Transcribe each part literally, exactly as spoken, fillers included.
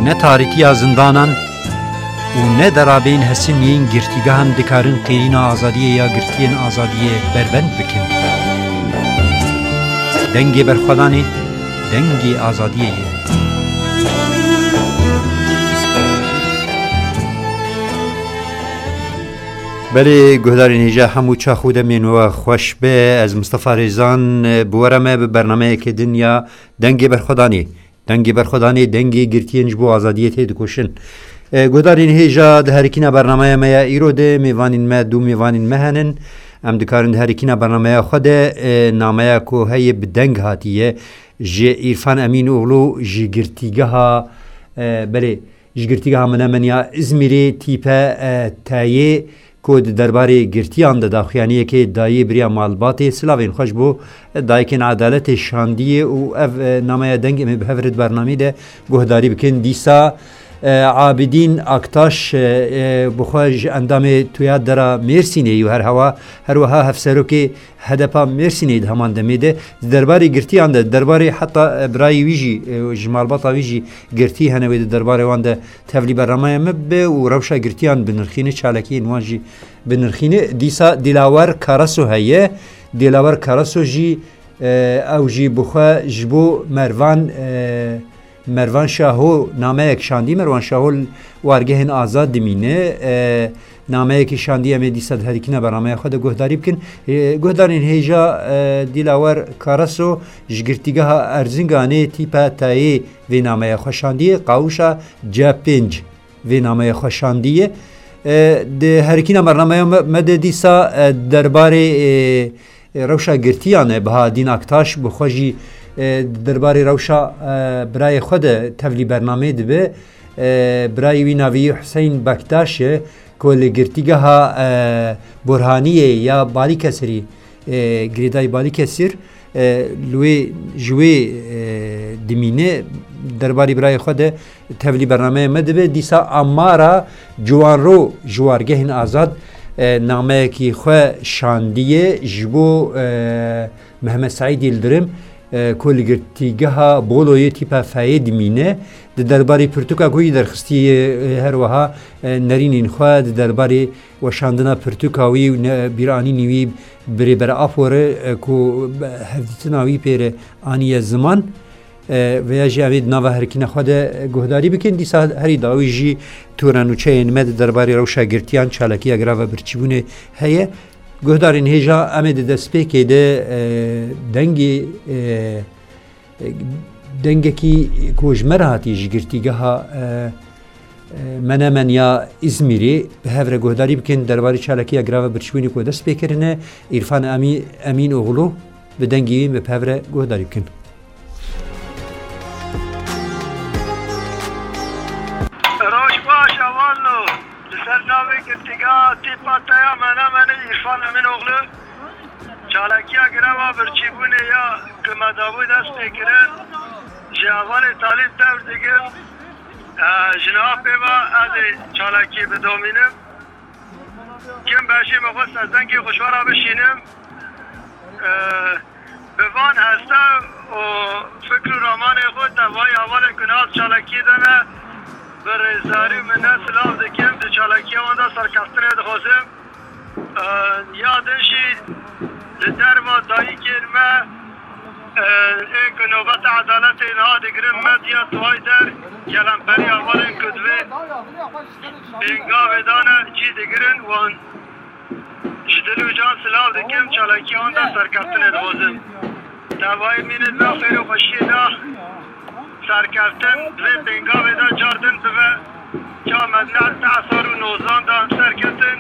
Ne tarîtiya zindanan û ne derabeyên hesin yên girtîgehan dikarin qêrîna azadiyê ya girtiyên azadiyê berbend bikin. Dengê berxwedanê, dengê azadiyê ye. Belê, guhdarên hêja, hemû çax û demên we xweş be. Ez Mistefa Rêzan, bi we re me bi bernameyeke din ya Dengê Berxwedanê. Dengê Berxwedanê, dengê girtiyên ji bo azadiyê tê dikoşin. E, guhdarên hêja, di herikîna bernameya me ya îro de mêvanên me, du mêvanên me henin. Em dikarin di herikîna bernameya xwe de, e, nameya ku heye bi deng hatiye ji Îrfan Emînoğlu ji girtîgeha, e, belê, ji girtîgeha Menemeniya Îzmîrê tîpe, e, teyê ku di derbarê girtiyan de daxuyaniyekê dayê biriya malbatê, silavên xweş bo dayikên edaletê şandiyê û ev, e, nameya deng em ê bi hev re di bernameyê de guhdarî bikin. Dîsa, e, Abidîn Aktaş, e, e, bi xwe ji endamê Tuya Dera Mêrsînê yû her hewa, her wiha hevserokê H D P a Mêrsînê di heman demê de di derbarê girtiyan de, di derbarê heta, e, birayê wî jî, e, ji malbata wî jî girtî hene wê di derbarê wan de tevlî bernameya me bibe û rewşa girtiyan binirxîne, çalakiyên wan jî binirxîne. Dîsa Dilawer Karaso heye. Dilawer Karaso jî, e, ew jî bi xwe ji bo Mervan, e, Mervan Şaho nameyek şandî. Mervan Şaho li wargehên azad dimîne. E, nameyekî şandî, em ê dîsa di herikîna bernameya xwe de guhdarî bikin. E, guhdarên hêja, e, Dilawer Karaso ji girtîgeha Erzinganê tîpa tayê vê nameya xwe şandiye, qawişa C pênc vê nameya xwe şandiye. E, di herikîna bernameya me, me de dîsa, e, derbarê, e, e, rewşa girtiyan e. Bahadîn Aktaş bi xwe jî, e, di derbarê rewşa, e, birayê xwe de tevlî bernameyê dibe. E, birayê wî navê wî Hüseyin Bektaş e, ku li girtîgeha, e, Burhaniyê ya Balîkesirî, e, girêdayî Balîkesir, e, li wê, ji wê, e, dimîne, derbarê birayê xwe de tevlî bernameya me dibe. Dîsa Amara Ciwanro ji wargehên azad, e, nameyekî xwe şandiye ji bo, e, Mehmet Seîd Yildirim, e, ku li girtîgeha Boloyê tîpa feyê dimîne. Di derbarê pirtûka ku yî derxistiye, e, her wiha, e, nerînên xwe di derbarê weşandina pirtûka wî û ne-, bîranînî wî bi Rêber Apo re, e, ku hevdîtina wî pê re aniye ziman, e, veya jî em ê di nava herikîna xwe de, e, guhdarî bikin. Dîsa herî dawî jî tûrenûçeyên me di derbarê rewşa girtiyan, çalakiya grava birçîbûnê heye. Guhdarên hêja, em ê di destpêkê de, e, dengê, e, e, dengekî ku ji me re hatiye ji girtîgeha, e, e, Menemen ya Îzmîrê bi hev re guhdarî bikin, derbarê çalakiya grava birçîbûnê ku dest pê kirine, Îrfan Emî-, Emînoğlu bi dengê wî bi hev re guhdarî bikin. Roj baş, hevalno. Li ser navê girtîgeha tîpa teya Menemenê Îrfan Emînoğlu, çalakiya greva birçîbûnê ya ku me dabû dest pê kirin, ji hevalê talîb tevr dikim. E, ji niha pê ve ez ê çalakiyê bidomînim. Kim beşê me xwest ez dengê xwe ji we re bişînim. E, Bi van heste û fikr û ramanê xwe tevayî hevalên ku niha di çalakiyê de ne, bi rêzdar û minet silav dikim, di çalakiya wan de serkeftinê dixwazim. Ee, ya din jî li derva dayikên me, ee, ê ku nobeta edaletê niha digirin, medya Tuwayder, gelemperî hevalên ku di vê pêngavê de ne, cî digirin, wan Ji dil û can silav dikim, çalakiyê wan de serkeftinê dixwazim. Tevayî mînê di nav xêr û xweşiyê de serkeftin, di vê pêngavê de car din bibe. Çawa me di neh sed û nozdan de em serketin,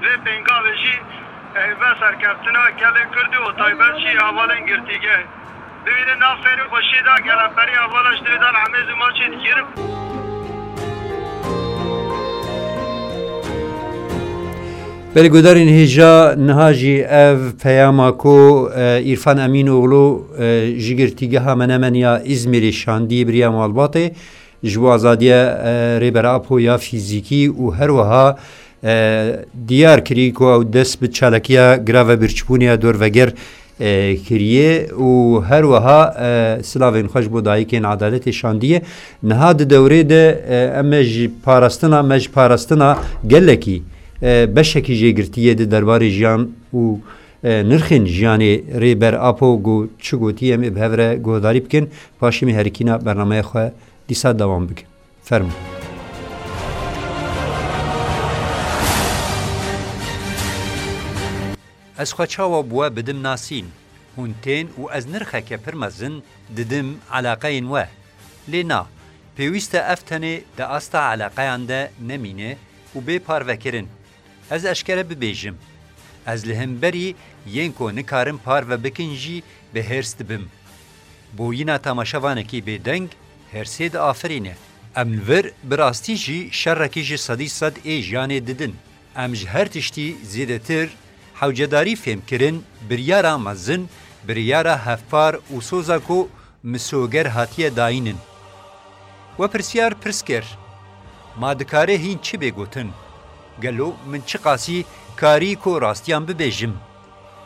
di vê pêngavê jî heyve serkeftina gelê Kurd û taybet jî hevalên girtîgeh. Bimînin nav xêr û xweşiyê de, gelemperî hevala ji dilê de li Emêz û maçê digirim. Belê guhdarên hêja, niha jî ev peyama ku, e, Îrfan Emînoğlu, e, ji girtîgeha Menemen ya Îzmîrê şandî biriya malbatê, ji bo azadiya, e, Rêber Apo ya fîzîkî û her wiha, e, diyar kirî ku ew dest bi çalakiya grava birçîbûnê ya dorveger e, kiriye û her wiha, e, silavên xwe ji bo dayikên edaletê şandiye. Niha di dewrê de, e, em e ji parastina, me ji parastina gelekî, e, beşekî jê girtiye di derbarê jiyan û, e, nirxên jiyanê Rêber Apo got, çi gotiye, em ê bi hev re guhdarî bikin. Paşê me herikîna bernameya xwe dîsa dewam bikin. Fermo. Ez xwe çawa bi we bidim nasîn? Hûn tên û ez nirxeke pir mezin didim eleqeyên we. Lê na, pêwîst e ev tenê di asta eleqeyan de nemîne û bê parvekirin. Ez eşkere bibêjim, ez li hemberî yên ku nikarin parve bikin jî bi hêrs dibim. Bûyîna tamaşevanekî bêdeng hêrsê diafirîne. Em li vir bi rastî jî şerekî ji sedî sed ê jiyanê didin. Em ji her tiştî zêdetir hewcedarî fêhm kirin, biryara mezin, biryara hevpar û soza ku misoger hatiye dayînin. We pirsyar pirs kir, ma dikare hîn çi bê gotin? Gelo min çiqasî karî ku rastiyan bibêjim?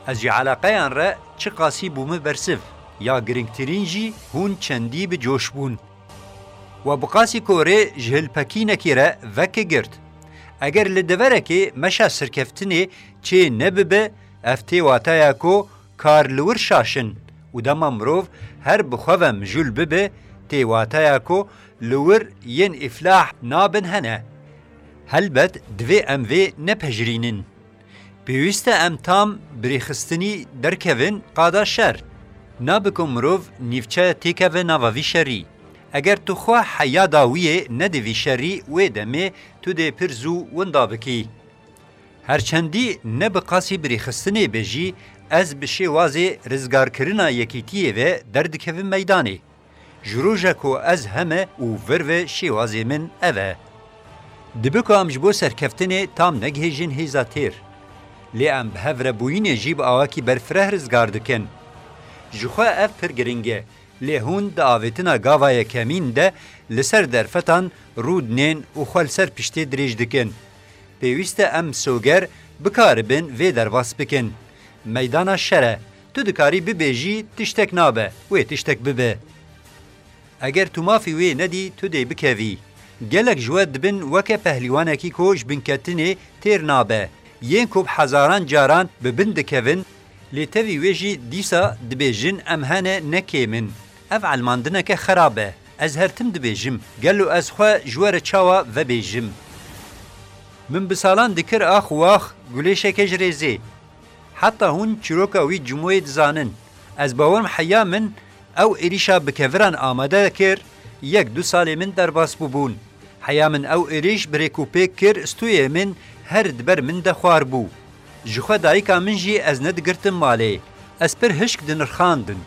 Ez ji eleqeyan re çiqasî bûme bersiv, ya girîngtirîn jî hûn çendî bi coş bûn. We bi qasî korê ji hilpekînekê re veke girt. Eger li deverekê meşa serkeftinê çê nebibe, ev tê wataya ku kar li wir şaş in û dema mirov her bi xwe ve mijûl bibe, tê wataya ku li wir yên îflah nabin hene. Helbet divê em vê nepejirînin. Pêwîst e em tam bi rêxistinî derkevin qada şer. Nabe ku mirov nîvçe têkeve nava vî şerî. Eger tu xwe heya dawiyê nedî vî şerî, wê demê tu dê pir zû winda bikî. Her çendî ne bi qasî bi rêxistinê be jî, ez bi şêwazê rizgarkirina yekîtiyê ve derdikevim meydanê. Ji roja ku ez heme û vir ve şêwazê min ev e. Dibe ku em ji bo serkeftinê tam negihêjin hêza têr. Lê em bi hev re bûyînê jî bi awakî berfireh rizgar dikin. Ji xwe ev pir giring e, lê hûn di avêtina gava yekemîn de li ser derfetan rûdinên û xwe li ser piştê dirêj dikin. Pêwîst e em soger bikaribin vê derbas bikin. Meydana şer e. Tu dikarî bibêjî tiştek nabe, wê tiştek bibe. Eger tu mafî wê nedî, tu dê bikevî. Gelek ji we dibin weke pehlîwanekî ku ji binketinê têr nabe. Yên ku bi hezaran caran bi bin dikevin, lê tevî wê jî dîsa dibêjin em hene ne kêm in. Ev elmandineke xerab e. Ez her tim dibêjim, gelo ez xwe ji we re çawa vebêjim? Min bi salan dikir ax û wax gulêşeke ji rêzê. Heta hûn çîroka wî Cimoyê dizanin. Ez bawer im heya min ew êrîşa bi keviran amade kir, yek du salê min derbas bûbûn. Heya min ew êrîş bi rêk û pêk kir, stûyê min her di ber min de xwar bû. Ji xwe dayika min jî ez nedigirtim malê. Ez pir hişk dinirxandin.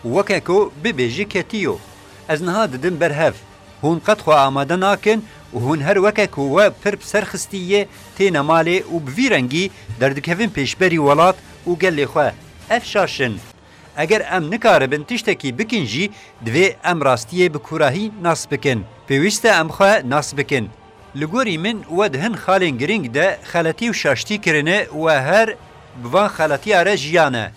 Weke ku bibêjî ketiyo. Ez niha didim ber hev. Hûn qet xwe amade nakin û hûn her weke ku we pir bi ser xistî yê têne malê û bi vî rengî derdikevin pêşberî welat û gelê xwe. Ev şaş in. Eger em nikaribin tiştekî bikin jî, divê em rastiyê bi kûrahî nas bikin. Pêwîst e em xwe nas bikin. Li gorî min we di hin xalên girîng de xeletî û şaştî kirine, we her bi van xeletiya re jiyane.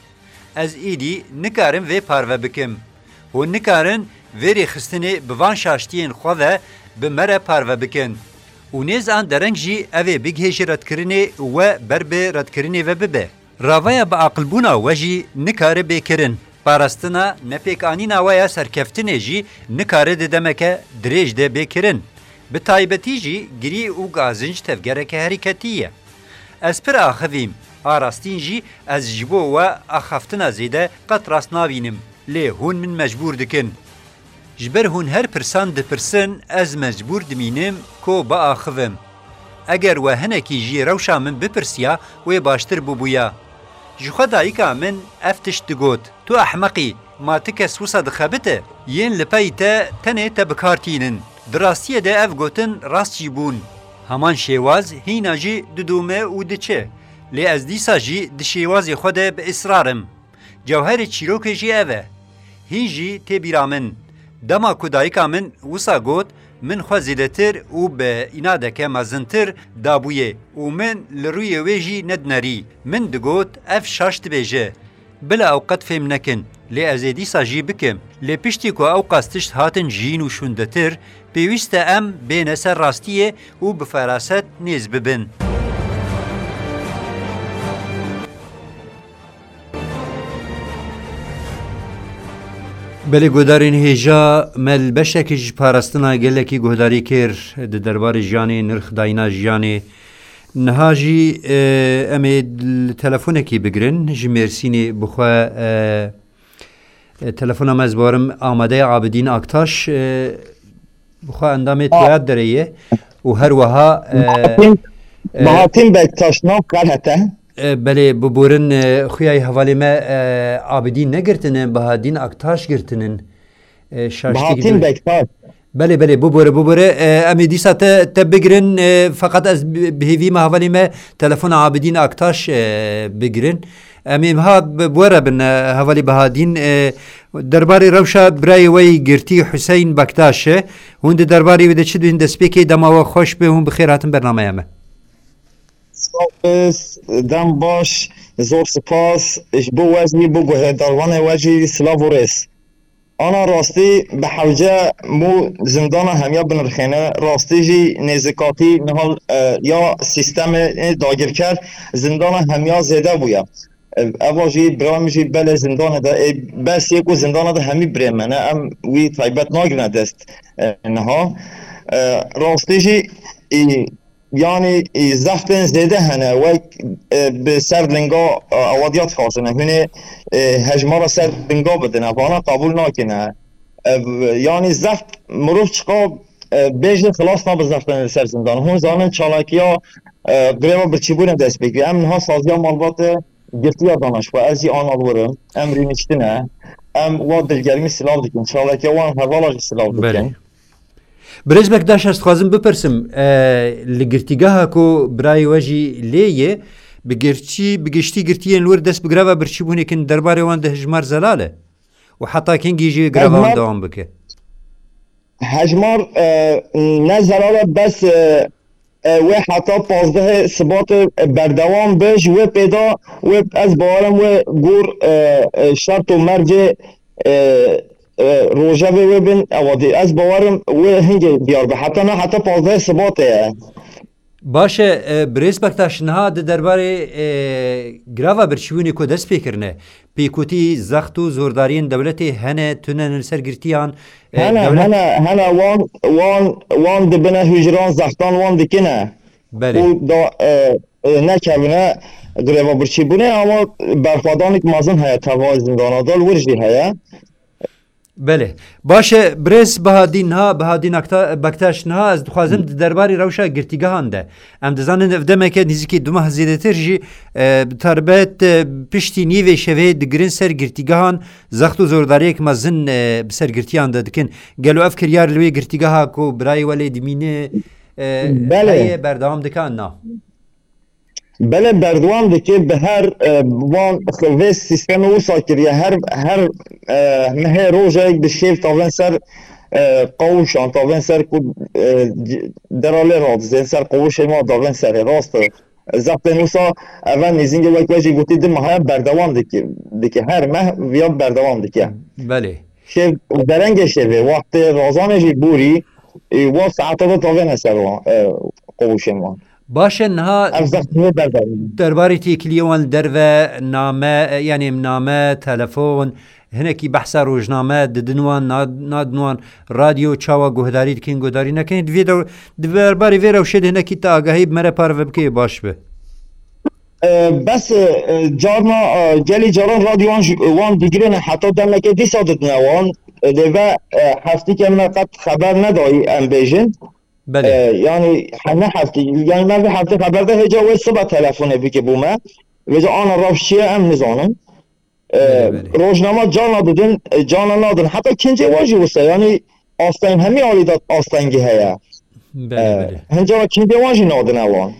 Ez êdî nikarim vê parve bikim. Hûn nikarin vê rêxistinê bi van şaştiyên xwe ve bi me re parve bikin. Û nêz an dereng jî ev ê bigihêje redkirinê û we ber bi redkirinê ve bibe. Raveya biaqilbûna we jî nikare bê kirin. Parastina nepêkanîna we ya serkeftinê jî nikare di demeke dirêj de bê kirin. Bi taybetî jî girî û gazinc tevgereke herîketî ye. Ez pir axivîm, a rastîn jî ez ji bo we axaftina zêde qet rast nabînim, lê hûn min mecbûr dikin. Ji ber hûn her pirsan dipirsin, ez mecbûr dimînim ku biaxivim. Eger we hinekî jî rewşa min bipirsiya, wê baştir bûbûya. Ji xwe dayika min ev tişt digot, Tu ehmeq î, ma ti kes wisa dixebite? Yên li pey te tenê te bi kar tînin. Di rastiyê de ev gotin rast jî bûn. Heman şêwaz hîna jî didome û diçe. Lê ez dîsa jî di şêwazê xwe de bi israr im. Cewherê çîrokê jî ev e. Hîn jî tê bîra min. Dema ku dayika min wisa got, min xwe zêdetir û bi înadeke mezintir dabûyê û min li rûyê wê jî nedinerî. Min digot, ev şaş dibêje. Bila ew qet fêm nekin, lê ez ê dîsa jî bikim. Lê piştî ku ew qas tişt hatin jiyîn û şûndetir, pêwîst e em bêne ser rastiyê û bi feraset nêz bibin. Belê guhdarên hêja, me li beşekî ji parastina gelekî guhdarî kir di derbarê jiyanê, nirxdayîna jiyanê. Niha jî, e, em ê li telefonekî bigirin, ji Mêrsînê bixwe, e, e, telefona me ez barim amade ye, Abidîn Aktaş, e, bixwe endamê A- Toyad Derê ye û her wiha, e, Bahatîn, e, Bahatîn Bektaş nav xelet e. E, belê, biborin, e, xuya yê hevalê me, e, Abidîn negirtine, Bahadîn Aktaş girtinin. E, şaştî Bahatîn Bektaş. Belê, belê, bibore, bibore. E, em ê dîsa te, te bigirin, e, feqet ez bi, bi hêvî me hevalê me telefona Abidîn Aktaş, e, bigirin. Em ê ha bi, bi we re bin, e, hevalê Bahadîn, e, derbarê rewşa birayê we yî girtî Hüseyin Bektaş e. Hûn di derbarê wê de çi dibên? Destpêkê dema we xweş be, hûn bi xêr hatin bernameya me. Spas, dem baş, zor spas. Ji bo we jî, bo guhdarvanê we jî silav û rêz. Ana rastî bi hewce mû zindana hemiya binirxêne. Rastî jî nêzikatî niha, e, ya sîstemê dagirker zindana hemiya zêde bûye. E, eva jî bira min jî belê zindanê de, ê, bes yê ku zindana de hemî birê me ne, em wî taybet nagirine dest, e, niha. E, rastî jî, ê, Yanî, e, zextên zêde hene, wek, e, bi ser linga, e, awadiya dixwazine. Hûnê, e, hejmara ser linga bidine, vana qebûl nakine. E, yanî zext, mirov çiqa, e, bêje xilas nabe zextên li ser zindan. Hûn zanin çalakiya, e, greva birçîbûnê dest pê kiriye. Em niha saziya malbatê girtiya dana ji xwe. Ez jî ana li wir im. Em rûniştine. Em wa dilgermî silav dikin. Çalakiya wan hevala jî silav dikin. Belê. Birêz Bektaş, ez dixwazim bipirsim, e, li girtîgeha ku birayê we jî lê ye, bi girtî, bi giştî girtiyên li wir dest bi greva birçîbûnê kin, derbarê wan de hejmar zelal e? Û heta kengî jî greva wan Hejmar dewam bike? Hejmar, e, ne zelal e, bes, e, e, wê heta pazdehê Sibatê, e, berdewam be, ji wê pêda wê, ez bawerim wê gor, e, e, şert û mercê, e, e, rojevê wê bin, ewa dî. Ez bawerim wê hingê diyar be. Heta na, heta pazdehê Sibatê ye. Baş e, e, Birêz Bektaş, niha di derbarê, e, grava birçîbûnê ku dest pê kirine, pêkutî, zext û zordariyên dewletê hene, tune ne li ser girtiyan, e, Hene, dewlet hene, hene wan, wan, wan dibine hûcran zextan wan dikine. Belê. Û da, e, e, nekevine greva birçîbûnê, ama berxwedanik mezin heye, teva zindana de li wir jî heye. Belê. Baş e, birêz Bahadîn niha, Bahadîn Akta-, Bektaş niha, ez dixwazim di derbarê rewşa girtîgehan de. Em dizanin ev demeke nîzikî du mah zêdetir jî, e, bi taybet, e, piştî nîvê şevê digirin ser girtîgehan, zext û zordariyek mezin, e, bi ser girtiyan de dikin. Gelo ev kiryar li wê girtîgeha ku birayê we lê dimîne, e, Belê. heye, berdewam dike an na? Belê, berdewam dike, bi her, e, wan vê sîstemê wisa kiriye. Her, her, e, mehê rojek bi şêv tavên ser, e, qawûşan, tavên ser ku, e, c-, dera lê radizên ser qawûşê ma davên serê, rast e. Zextên wisa eve nêzîngê wek we jî gotî di meha berdewam dike, dike. Her meh viya berdewam dike. Belê. Şêv, derengê şêvê, wextê razanê jî borî, e, wa saeta de tavêne ser wan, e, qawûşên wan. Baş e, niha Ev zext wê berdewam. derbarê têkiliyê wan li derve name, e, yanî name, telefon, hinekî behsa rojname didin wan, na-, nadin wan, radyo, çawa guhdarî dikin, guhdarî nekin. Di vê de, di derbarê vê rewşê de hinekî te agahî bi me re parve bikê, baş be. E, bes, e, carna, e, gelî caran radyo wan ji, wan digirêne, heta demeke dîsa didine wan. E, lê ve, e, heftîke me qet xeber nedayî, em bêjin. Belê. E, yanî, he, ne heftî, yanî me vê heftê xeber de, hêca wê sibe telefonê bike bo me. Vêca ana rewş çi ye, em nizanin. E, Belê, belê. Rojnama cana didin, e, cana nadin. Heta kincê wan jî wisa, yanî asteng, hemî alî de astengî heye. Belê, E, belê. Hincana kincê wan jî nadine wan.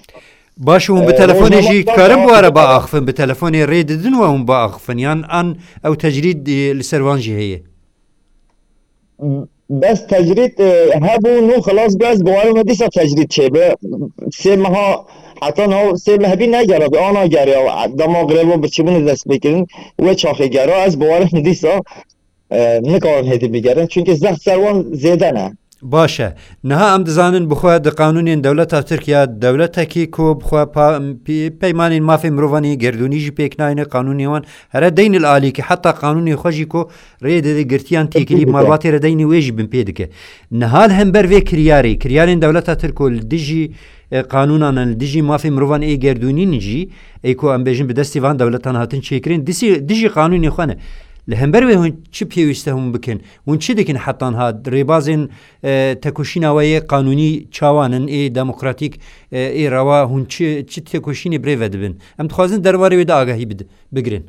Baş, hûn bi E, telefonê rojnama jî cana dikarin bi we re didin. biaxifin, bi telefonê rê didin we hûn biaxifin, yan an ew tecrîd, e, li ser wan jî heye? Bes tecrîd, e, hebû, nû xilas bû, ez bawerim dîsa tecrîd çêbe. Sê meha, heta niha sê meh bî negera, bi ana geriya, dema greva birçîbûnê dest pê kirin, wê çaxê gera, ez bawerim dîsa, e, nikarin hêdî bigerin. Çunkî zext ser wan zêde ne. Baş e. Niha em dizanin bixwe di qanûnên dewleta Tirk ya dewletekî ku bixwe pa-, pî-, peymanên mafê mirovan ê gerdûnî jî pêk nayne, qanûnê wan here deynî li alîkî, heta qanûnê xwe jî ku rê dide girtiyan têkilî malbatê re deynî wê jî binpê dike. Niha li hember vê kiryarê, kiryarên dewleta Tirk ku li dijî, e, qanûnan in, li dijî mafê mirovan ê gerdûnî in jî, ê ku em bêjin bi destê van dewletan hatin çêkirin, dijî, dijî qanûnê xwe ne. Li hember wê hûn çi pêwîste hûn bikin? Hûn çi dikin heta niha? Rêbazên, e, tekoşîna we yê qanûnî çawan in, ê demokratîk, e, ê rewa, hûn çi, çi tekoşînê birêve dibin? Em dixwazin derbarê wê de agahî bid-, bigirin.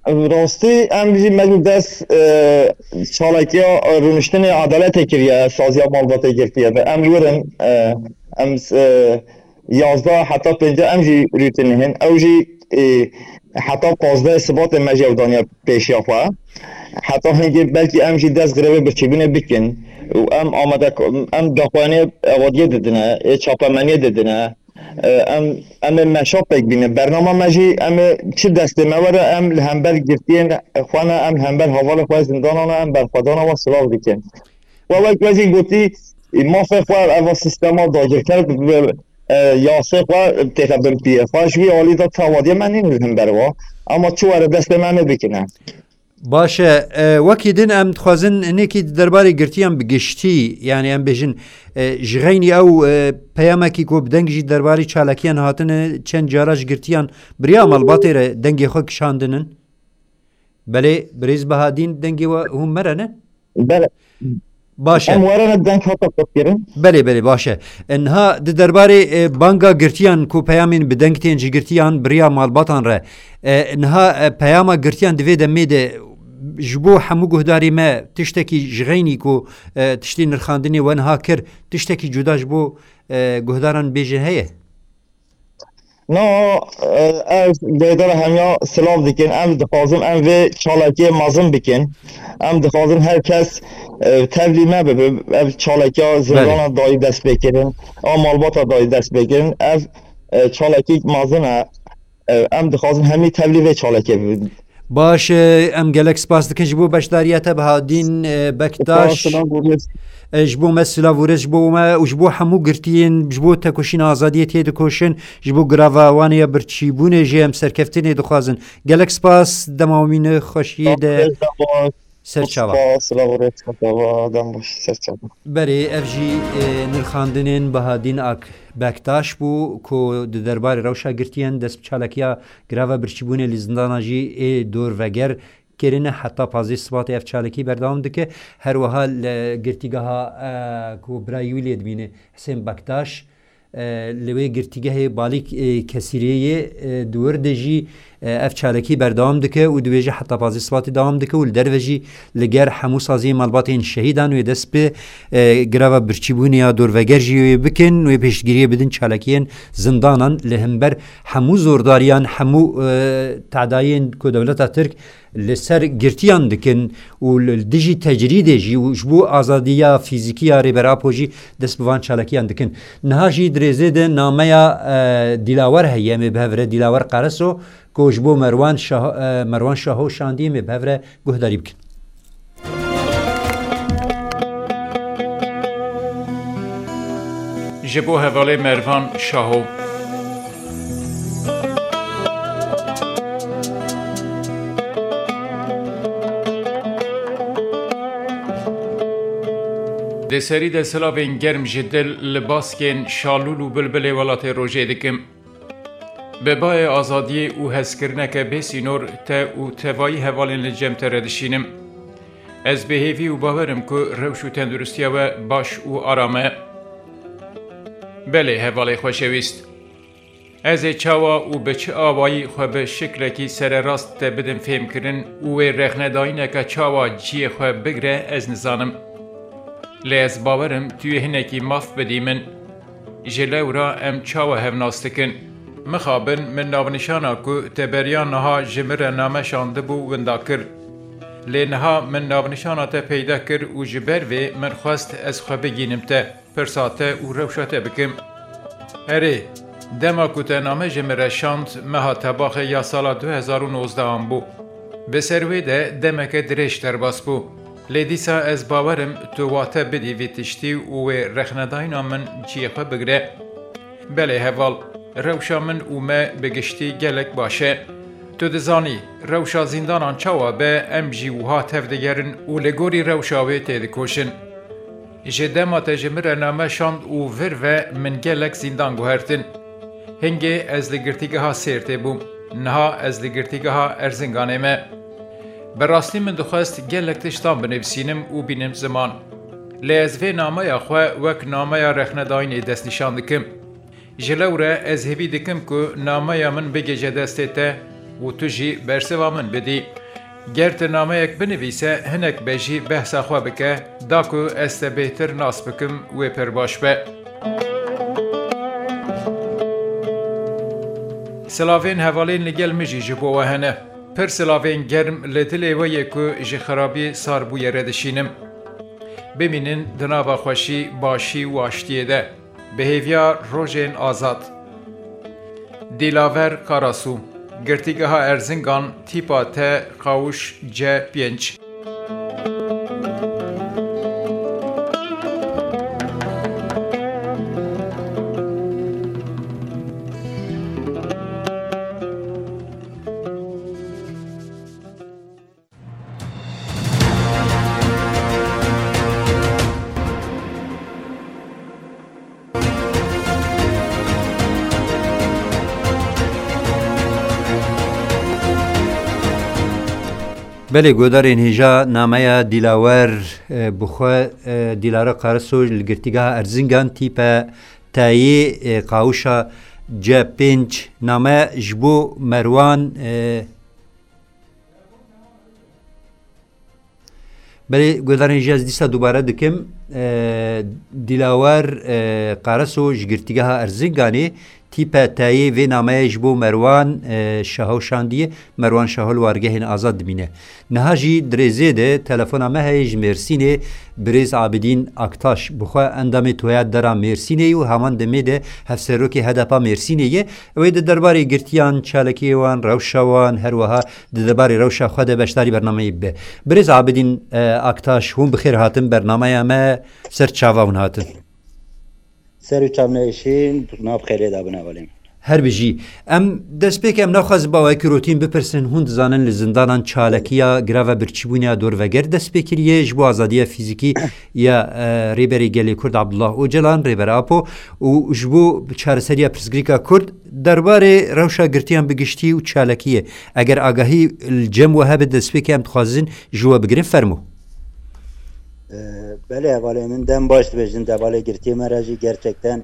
Rastî, em jî me jî dest, e, çalakiya rûniştinê edaletê kiriye, saziya malbatê girtiye ve. Em li wir in, e, em, e, yazdeh heta pêncî em jî rûtinî hin. Ew jî, e, heta pazdeh Sibatê me jî ew daniye pêşiya xwe. Heta hingê belkî em jî dest grevê birçîbûnê bikin. Û em amade, em daxuyaniyê evadiyê didine, ê çapemeniyê didine. E, em, em ê meşa pêk bînin. Bernama me jî, em ê çi destê me were, em li hember girtiyên xwe ne, em li hember hevalê xwe zindana ne, em berxwedana wan silav dikin. We wek we jî gotî, mafê xwe eva sîstema dagirker bi, bi, e, yasê xwe têxe bin piyê xwe. Ji wî alî de tawadiye me nîn li hember wa. Ama çi were destê me em ê bikine. Baş e, e, wekî din em dixwazin hinekî di derbarê girtiyan bi giştî, yanî em bêjin, e, ji xeynî ew, e, peyamekî ku bi deng jî derbarê çalakiyan hatine, çend cara ji girtiyan bi riya malbatê re dengê xwe kişandinin. Belê, birêz Bahadîn, dengê we hûn me re ne? Belê. Baş e. Em werene deng hata qutkirin. Belê, belê, baş e. E, niha di derbarê, e, banga girtiyan ku peyamên bi deng tên ji girtiyan bi riya malbatan re. E, niha, e, peyama girtiyan di vê demê de ji bo hemû guhdarê me tiştekî ji xeynî ku, e, tiştê nirxandinê we niha kir, tiştekî cuda ji bo, e, guhdaran bêje heye? No, e, ez guhedara hemiya silav dikin. Em dixwazin em vê çalakiyê mezin bikin. Em dixwazin her kes, e, tevlî me bibe. Ev çalakiya zindana dayî dest pê kirin, a malbata dayî dest pê kirin. Ev, e, çalakî mezin e. E, em dixwazin hemî tevlî vê çalakê bibin. Baş e, em gelek spas dikin ji bo beşdariya te, Bahadîn, e, Bektaş. Spas, silav û rêz. E, ji bo me silav û rêz ji bo me û ji bo hemû girtiyên, ji bo tekoşîna azadiyê tê dikoşin, ji bo girava wan ya birçîbûnê jî em serkeftinê dixwazin. Gelek spas, dema wî ne xweşiyê de. Spas, dema Ser çava. Spas, silav û rêz, ser çava, dem baş, ser çava. Berê, ev jî, e, nirxandinên Bahadîn Ak Bektaş bû ku di derbarê rewşa girtiyan dest bi çalakiya girava birçîbûnê li zindana jî ê dorveger kirine. Heta pazdeh Sibatê ev çalakî berdewam dike. Her wiha li girtîgeha, e, ku birayî wî lê dimîne Hisên Bektaş, e, li wê girtîgehê balîk, e, kesîrê ye, e, di wir de jî, e, ev çalakî berdewam dike û dibêje heta pazdeh Sibatê dewam dike û li derve jî li ger hemû saziyên malbatên şehîdan wê dest bi, e, girava birçîbûnê ya dorveger jî wê bikin, wê piştgiriyê bidin çalakiyên zindanan li hember hemû zordariyan, hemû, e, tedayên ku dewleta Tirk li ser girtiyan dikin û li dijî tecrîdê jî û ji bo azadiya fîzîkî ya Rêber Apo jî dest bi van çalakiyan dikin. Niha jî di rêzê de nameya, e, Dîlawer heye, em ê bi hev re Dîlawer Qereso ku ji bo Merwan Şah-, e, Merwan Şaho şandiye, em ê bi hev re guhdarî bikin. Ji bo hevalê Mervan Şaho. Di serî de silavên germ ji dil li baskên Şalûl û Bilbilê Welatê Rojê dikim. Bi bayê azadiyê û hezkirineke bê sînor te û tevayî hevalên li cem te re dişînim. Ez bi hêvî û bawer im ku rewş û tenduristiya we baş û aram e. Belê, hevalê xweşewîst. Ez ê çawa û bi çi awayî xwe bi şiklekî sererast te bidim fêmkirin û wê rexnedayîneke çawa cihê xwe bigre, ez nizanim. Lê ez bawer im tu yê hinekî maf bidî min. Ji lewra em çawa hev nas dikin? Mixabin min navnîşana ku te beriya niha ji min re name şandibû winda kir. Lê niha min navnîşana te peyda kir û ji ber vê min xwest ez xwe bigînim te, pirsa te û rewşa te bikim. Erê, dema ku te name ji min re şand, meha Tebaxê ya sala du hezar û nozdeh an bû. Bi ser wê de demeke dirêj derbas bû. Lê dîsa ez bawer im tu wate bidî vî tiştî û wê rexnedayîna min cihê xwe bigire. Belê heval, rewşa min û me bi giştî gelek baş e. Tu dizanî, rewşa zîndanan çawa be, em jî wiha tevdigerin û li gorî rewşa wê têdikoşin. Ji dema te ji min re name şand û vir ve min gelek zîndan guhertin. Hingê ez li girtîgeha Sêrtê bûm. Niha ez li girtîgeha Erzinganê me. Bi rastî min dixwest gelek tiştan binivîsînim û bînim ziman. Lê ez vê nameya xwe wek nameya rexnedayînê destnîşan dikim. Ji lewre ez hêvî dikim ku nameya min bigihîje destê te û tu jî bersiva min bidî. Ger tu nameyek binivîse, hinek be jî behsa xwe bike, da ku ez te bêhtir nas bikim, wê pir baş be. Silavên hevalên li gel min jî ji bo we hene. Pir silavên germ li dilê we yê ku ji xirabî sarbûyê re dişînim. Bimînin di nava xweşî, başî û aştiyê de. Bi hêviya rojên azad. Dîlaver Karasu, Girtîgeha Erzingan, tîpa T, qawûş C pênc. Belê, godarên hêja, nameya Dîlawer, e, bi xwe, e, Dîlara Karasu li girtîgeha Erzingan tîpe tayê, e, qawişa C pênc, name ji bo Merwan, e, Belê, guhdarên jî ez dîsa dubare dikim. E, Dîlawer, e, Qaraso ji girtîgeha Erzinganê tîpe tayê vê nameyê ji bo Merwan, e, Şaho şandiye. Merwan Şaho li wargehên azad dimîne. Niha jî di rêzê de telefona me heye ji Mêrsînê, birêz Abidîn Aktaş. Bi xwe endamê Toya Dera Mêrsînê ye û heman demê de hevserokê H D P a Mêrsînê ye. Ew ê di derbarê girtiyan, çalakiyê wan, rewşa wan, her wiha di derbarê rewşa xwe de beşdarî bernameyê bibe. Birêz Abidîn, e, Aktaş, hûn bi xêr hatin bernameya me, ser çava hûn hatin. Ser û çav nehêşîn, nav xêrê de bin hevalên. Her bijî. Em destpêkê em naxwazin ba wekî rotîn bipirsin, hûn dizanin li zindanan çalakiya greva birçîbûna dorveger dest pê kiriye ji bo azadiya fîzîkî ya, e, Rêberê Gelê Kurd Abdullah Ocalan, Rêber Apo, û ji bo çareseriya pirsgirêka Kurd derbarê rewşa girtiyan bi giştî û çalakiyê. Eger agahî li cem we hebe destpêkê em dixwazin ji we bigirin, fermo. Ee, belê, hevalê min dem baş dibêjin, devalê girtiyê me re jî gerçekten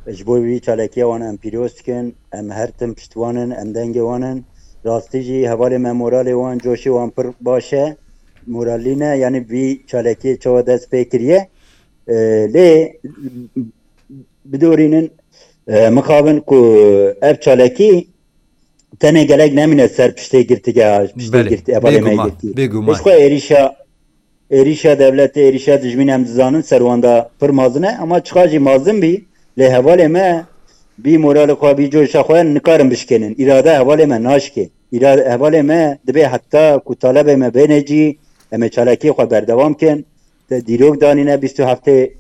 ji bo vî çalakiya wan em pîroz dikin, em her tim pişt wan in, em dengê wan in. Rastî jî hevalê me moralê wan, coşê wan pir baş e, moralî ne, yanî vî çalakiyê çawa dest pê kiriye. Ee, lê bidorînin, e, mixabin ku ev çalakî tenê gelek nemîne ser piştê girtîgeha, piştê Belê, girtî-, hevalê me bêguman, girtî. Bêguman. Ji xwe êrîşa, êrîşa dewletê, êrîşa dijmîn em dizanin ser wan de pir mezin e, ama çiqa jî mezin bî, lê hevalê me bî moralê xwe, bî coşa xwe nikarin bişkênin. Îrade hevalê me naşkê. Îra-, hevalê me dibê heta ku talebê me bêne cî, em ê çalakiyê xwe berdewam kin. Te dîrok danîne bîst û heftê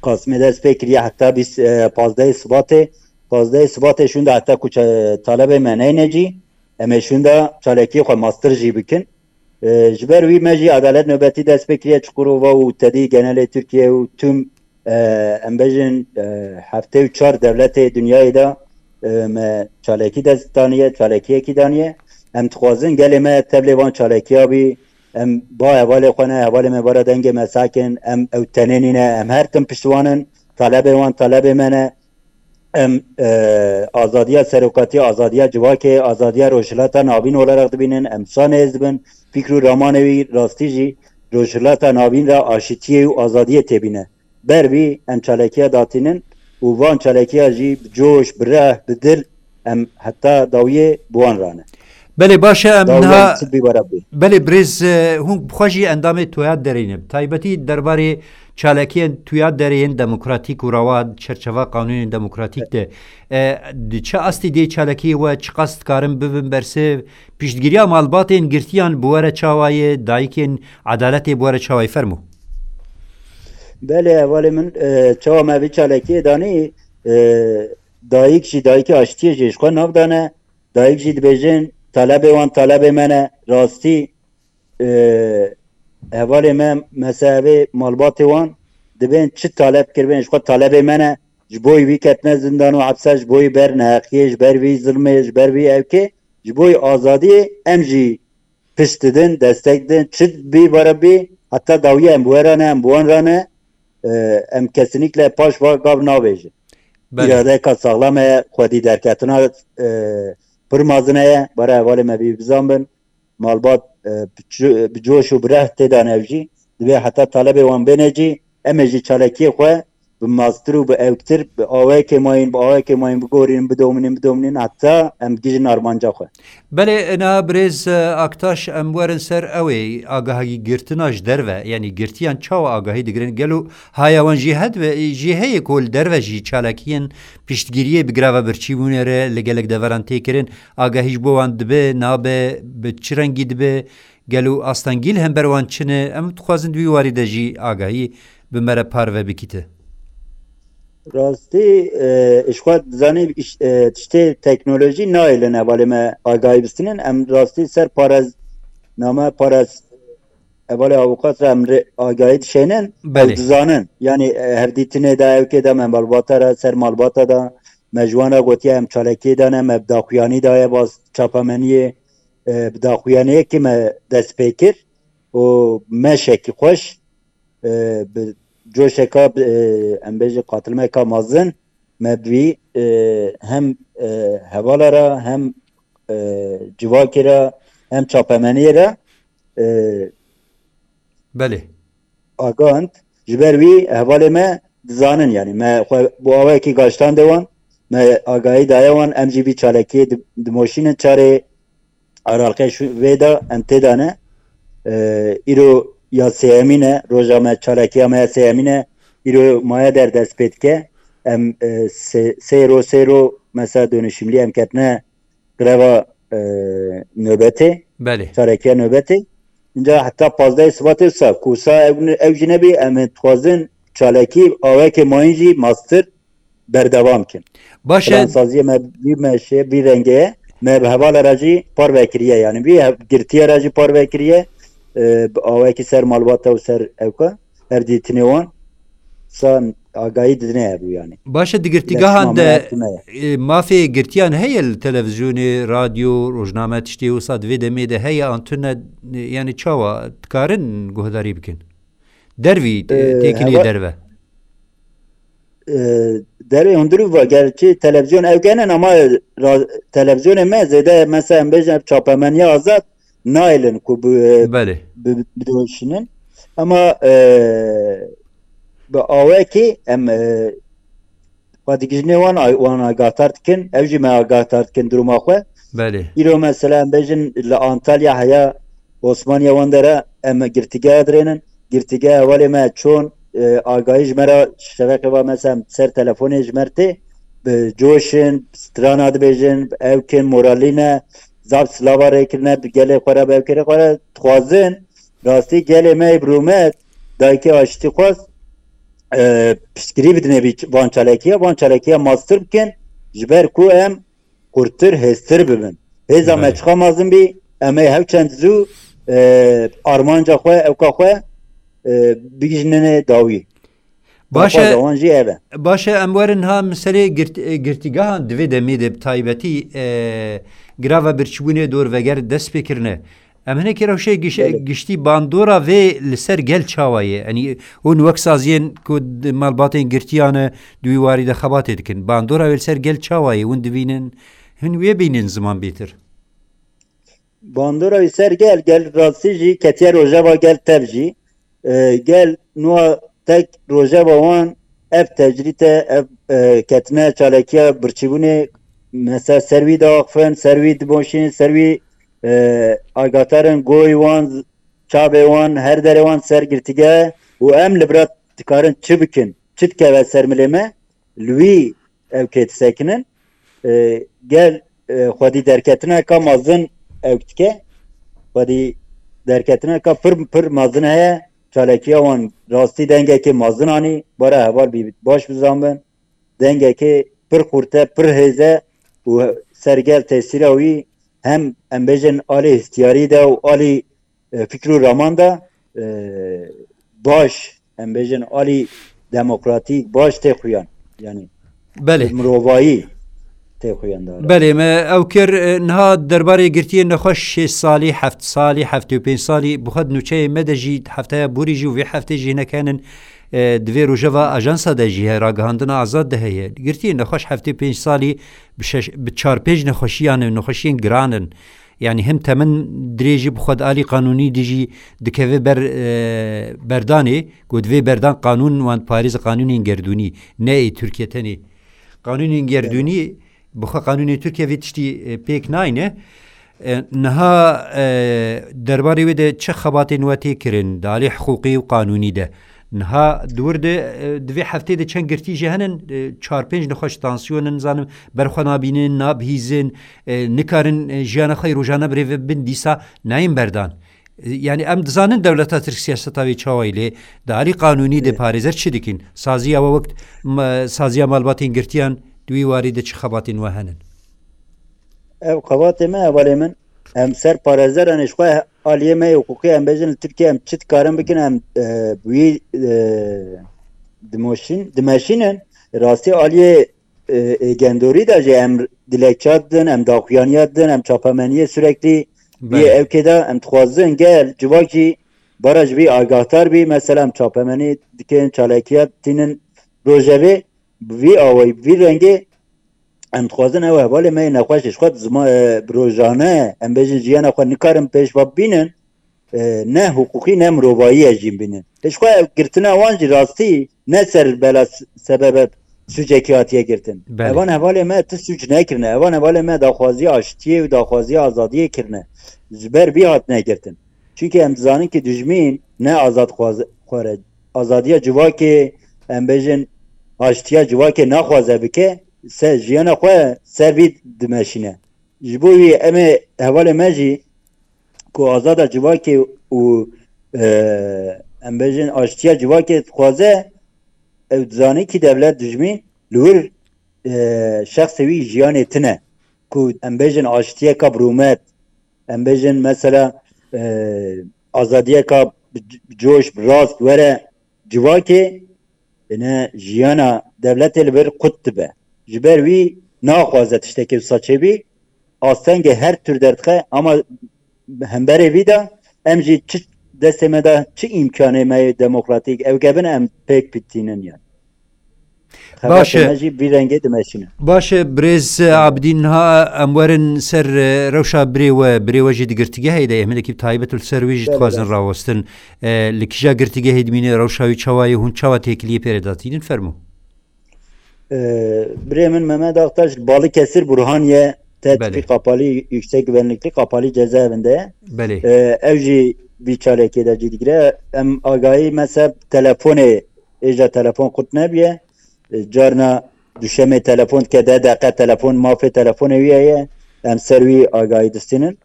Kasmê dest pê kiriye heta bîst, e, pazdehê Sibatê. Pazdehê Sibatê şûnde heta ku ça-, talebê me neyne cî, em ê şûnde çalakiyê xwe mastir jî bikin. E, ji ber wî me jî edalet nobetî dest pê kiriye Çukurova û tedî genelê Tirkiye û tüm, e, em bêjin, e, heftê û çar dewletê dinyayê de, e, me çalakî dest daniye, çalakiyekî daniye. Em dixwazin gelê me tevlê van çalakiya bî. Em ba hevalê xwe ne, hevalê me bara dengê me sakin, em ew tenê nîne, em her tim pişt wan in, talebê wan talebê me ne. Em, e, azadiya serokatî, azadiya civakê, azadiya Rojhilata Navîn olarak dibînin, em şanê ez dibin, fikr û ramanê wî rastî jî Rojhilata Navîn re aşitiyê û azadiyê têbîne. Ber vî em çalekiya datînin û van çalekiya jî bi coş, bi reh, bi dil em heta dawiyê bi wan rane. Belê, baş e, em Dawiyên niha çi bî were bî. Belê, birêz, e, hûn bi xwe jî endamê Tuya Derê ne. Bi taybetî derbarê çalakiyên Tuya Derê yên demokratîk û rewa çerçeva qanûnên demokratîk de. E, di çi astî dê çalakiyê we çiqas dikarin bibin bersiv? Piştgiriya malbatên girtiyan bi we re çawa ye? Dayikên edaletê bi we re çawa ye? Fermo. Belê, hevalê min, e, çawa me vî çalakiyê danî, e, dayik jî, dayikê aştiyê jî ji xwe nav dane. Dayik jî dibêjin, talebê wan talebê me ne. Rastî, e, hevalê me, mesevê malbatê wan dibên çi taleb kiribên, ji xwe talebê me ne. Ji bo wî ketine zindan û hepse, ji bo wî ber neheqiyê, ji ber vî zilmê, ji ber vî ewkê, ji bo wî azadiyê em jî pişt didin, destek didin. Çi bî were bî, heta dawiyê em bi we re ne, em bi wan re ne. E, em kesinîkle paş va gav navêjin. Belê. Îradeyeka saxlam heye, xwedî derketina, e, pir mezin heye. Were hevalê me bî bizan bin. Malbat, e, bi ço-, bi coş û bi reh tê de ne ev jî. Divê heta talebê wan bêne cî, em ê jî çalakiyê xwe bi mastir û bi ewktir, bi awayekê mayîn, bi awayekê mayîn bigorînin, bidomînin, bidomînin, heta em gihîjin armanca xwe. Belê, ina birêz, e, Aktaş, em werin ser ew ê agahî girtina ji derve, yanî girtiyan çawa agahî digirin? Gelo haya wan jî hedive, jî heye ku li derve jî çalakiyên piştgiriyê bi greva birçîbûnê re li gelek deveran tê kirin? Agahî ji bo wan dibe, nabe, bi çi rengî dibe? Gelo astengî li hember wan çi ne? Em dixwazin di wî warî de jî agahî bi me re parve bikîte. Rastî, e, ji xwe dizanî, iş-, e, tiştê teknolojî nayêlin hevalê me agahî bistînin. Em rastî ser parez, name parez, hevalê avûkat re em rê agahî dişênin, ew Belê. dizanin. Yanî, e, hevdîtinê de, ewkê de me malbata re, ser malbata de, me ji wan re gotiye em çalakiyê de ne, me bi daxuyanî daye baz çapemeniyê, e, bi daxuyaniyekî me dest pê kir û meşekî xweş, e, bi coşeka, bi, e, em bêjin qatilmeka mezin me bi wî, e, hem, e, hevala re hem, e, civakê re hem çapemeniyê re, e, Belê. agand. Ji ber wî hevalê me dizanin, yanî me xwe bo awayekî gaştande wan, me agahî daye wan, em jî vî çalakiyê di-, dimoşînin çarê Aralqê şu vê de em tê de ne. E, îro ya sêyemîn e, roja me, çalakiya me ya sêyemîn e. Îro maya der dest pê dike. Em, e, sê, sê ro, sê ro mesela dönüşümlü em ketine greva, e, nöbetê. Belê. Çalakiya nöbetê. Înca heta pazdehê Sibatê wisa, ku wisa ew, ew jî nebî, em ê dixwazin çalakî awekê mayîn jî mastir berdewam kin. Baş e. Plansaziyê me vî meşê, vî rengê ye. Me bi hevala re jî parve kiriye. Yanî vî hev-, girtiye re jî parve kiriye. E, bi awayekî ser malbata û ser ewka, her dîtinê wan san agahî didine hebû yanî. Baş e, di girtîgehan de, e, mafê girtiyan heye li televîzyonê, radyo, rojname tiştê wisa di vê demê de heye an tune, e, yanî çawa dikarin guhdarî bikin? Dervî, e, E, têkiliyê heva-, derve. e, derê hundirî va, gerçi televîzyon ew genin ama ra-, televîzyonê me zêde mesela em bêjin ev çapemeniya azad nayêlin ku bi, Belê. bi, bidoşinin. Ama, e, bi awekî em, e, xwe digihîjinê wan, ay-, wan agahdar dikin, ew jî me agahdar dikin duruma xwe. Belê. Îro mesela em bêjin li Antalya heya Osmaniye wan dere em girtîgeha dirênin. Girtîgeha hevalê me çon, e, agahî ji me re şeveqê va mesela ser telefonê ji me re tê, bi coşin, strana dibêjin, ew kin moralî ne, zaf silava rê kirine, bi gelê xwe re, bi ew kêrê xwe re dixwazin, rastî gelê me yê bi rûmet, dayikê aştî xwest, e, piştgirî bidine vî ç-, van çalekiya, van çalekiya mastir bikin, ji ber ku em qurtir, hêztir bibin. Hêza me Belê. çiqa mezin bî, em ê hew çend zû, e, armanca xwe, ewka xwe, e, bigihîjinê dawî. Baş e. Daxwaza wan jî ev e. Baş e, em werin ha miselê girt-, e, girtîgehan di vê demê de bi taybetî, e, grava birçîbûnê dorveger dest pê kirine. Em hinekî rewşê giş-, Belê. giştî bandora vê li ser gel çawa ye? Yanî hûn wek saziyên ku di malbatên girtiyan e, di wî warî de xebatê dikin. Bandora wê li ser gel çawa ye? Hûn dibînin, hûn wê bînin ziman bêtir? Bandora wî ser gel, gel rastî jî ketiye rojeva gel tev jî. E, gel nûa tek rojeva wan ev tecrît e, ev, e, ketine çalekiya birçîbûnê, mesela ser wî diaxifin, ser wî diboşînin, ser wî e, agahdarin, goyê wan, çavê wan, her derê wan ser girtîgeh û em li vir dikarin çi bikin, çi dikeve ser milê me, li wî ew kê disekinin. E, gel, e, xwedî derketineka mezin ew dike. Xwedî derketineka pir, pir mezin heye. Çalakiya wan rastî dengekê mezin anî. Bara heval bî baş bizanbin. Dengekê pir xurt e, pir hêz e û sergel tesîra wî hem, em bêjin, alî hestiyarî de û alî, e, fikr û raman de, e, baş, em bêjin, alî demokratîk baş tê xuyan. Yani Belê. mirovayî tê xuyan de. Belê, me ew kir, e, niha derbarê girtiyên nexweş şêst salî, heft salî, heftê û pênc salî, bi xwe di nûçeyê me de jî hefteya borî jî û vê heftê jî hinek henin, e, di vê rojeva ajansa de jî heye, ragihandina azad de heye. Girtiyên nexweş heftê pênc salî bi şeş, bi çar pênc nexweşiyan in, nexweşiyên giran in. Yani him temin dirêjî bi xwe di alî qanûnî de jî dikeve ber, e, berdanê, ku divê berdan qanûn wan parêz qanûnên gerdûnî, ne ê Tirkiye tenê. Qanûnên gerdûnî, bi xwe qanûnên Tirkiye vê tiştî, e, pêk nayne. E, niha, e, derbarê wê de çi xebatên we tê kirin, di alî hiqûqî û qanûnî de? Niha di wir de, e, di vê heftê de çend girtî jî henin, e, çar pênc nexweş tansiyon in, zanim, berxwe nabînin, nabihîzin, e, nikarin, e, jiyana xwe yê rojane bi rê ve bin, dîsa nayên berdan. E, yani em dizanin dewleta Tirk siyaseta wê çawa ye, lê di alî qanûnî de parêzer çi dikin? Saziya we wek ma-, saziya malbatên girtiyan di wî warî de çi xebatên we henin? Ev xebatê me, hevalê min, em ser parêzeran, ji xwe aliyê me yê hiqûqî, em bêjin li Tirkiye em çi dikarin bikin, em, e, bi wî, e, dimoşîn-, dimeşînin. Rastî aliyê, e, êgendorî de jî em dilekça didin, em daxuyaniya didin, em çapemeniyê süreklî bîye Belê. ew kê de em dixwazin gel civak jî bara ji vî agahdar bî. Mesela em çapemenî dikin, çalakiya tînin rojevê, bi vî awayî, bi vî rengê em dixwazin ew hevalê me yê nexweş ji xwe zima-, e, bi rojane, em bêjin, jiyana xwe nikarin pêş ve bînin, e, ne hiqûqî ne mirovayî ye jîn bînin. Ji xwe girtina wan jî rastî ne ser bela s-, sebebe sûcekî hatiye girtin. Belê. Evan hevalê me ti sûc nekirine. Evan hevalê me daxwaziya aştiyê û daxwaziya azadiyê kirine. Ji ber vî hatine girtin. Çunke em dizanin ki dijmîn ne azad xwaze-, xware. Azadiya civakê, em bêjin, aştiya civakê naxwaze bike, se jiyana xwe ser vî dimeşîne. Ji bo wî em ê hevalê me jî ku azada civakê û, e, em bêjin, aştiya civakê dixwaze, ew dizane ki dewlet dijmîn li wir, e, şexsê wî jiyanê tine. Ku em bêjin aştiyeka bi rûmet, em bêjin mesela, e, azadiyeka bi c-, bi coş, bi rast were civakê, ine jiyana dewletê li vir qut dibe. Ji ber wî naxwaze tiştekî wisa çêbî, astengê her tür derdixe, ama hemberê vî de em jî çi destê me de çi îmkanê me yê demokratîk ew gebin em pêk bitînin yani. Xebatê Baş e. me jî vî rengê dimeşîne. Baş e, birêz Abidîn, niha em werin ser, e, rewşa birê we. Birê we jî di girtîgehê de ye. Em hinekî bi taybet li ser wê jî Belê, dixwazin belê. rawestin. E, li kîja girtîgehê dimîne, rewşa wî çawa ye, hûn çawa têkiliyê pê re datînin? Fermo. E, birê min Mehmet Aktaş li Balıkesir Burhaniye, Belê. Tetbîk Kapalı, Yüksek Güvenlikli Kapalı Cezaevinde. Belê. E, ew jî vî çalekê de cî digire. Em agahî, mesela telefonê, êja telefon qut nebiye. E, carna duşemê telefon dike, deh deqe telefon, mafê telefonê wî heye. Em ser wî agahî distînin.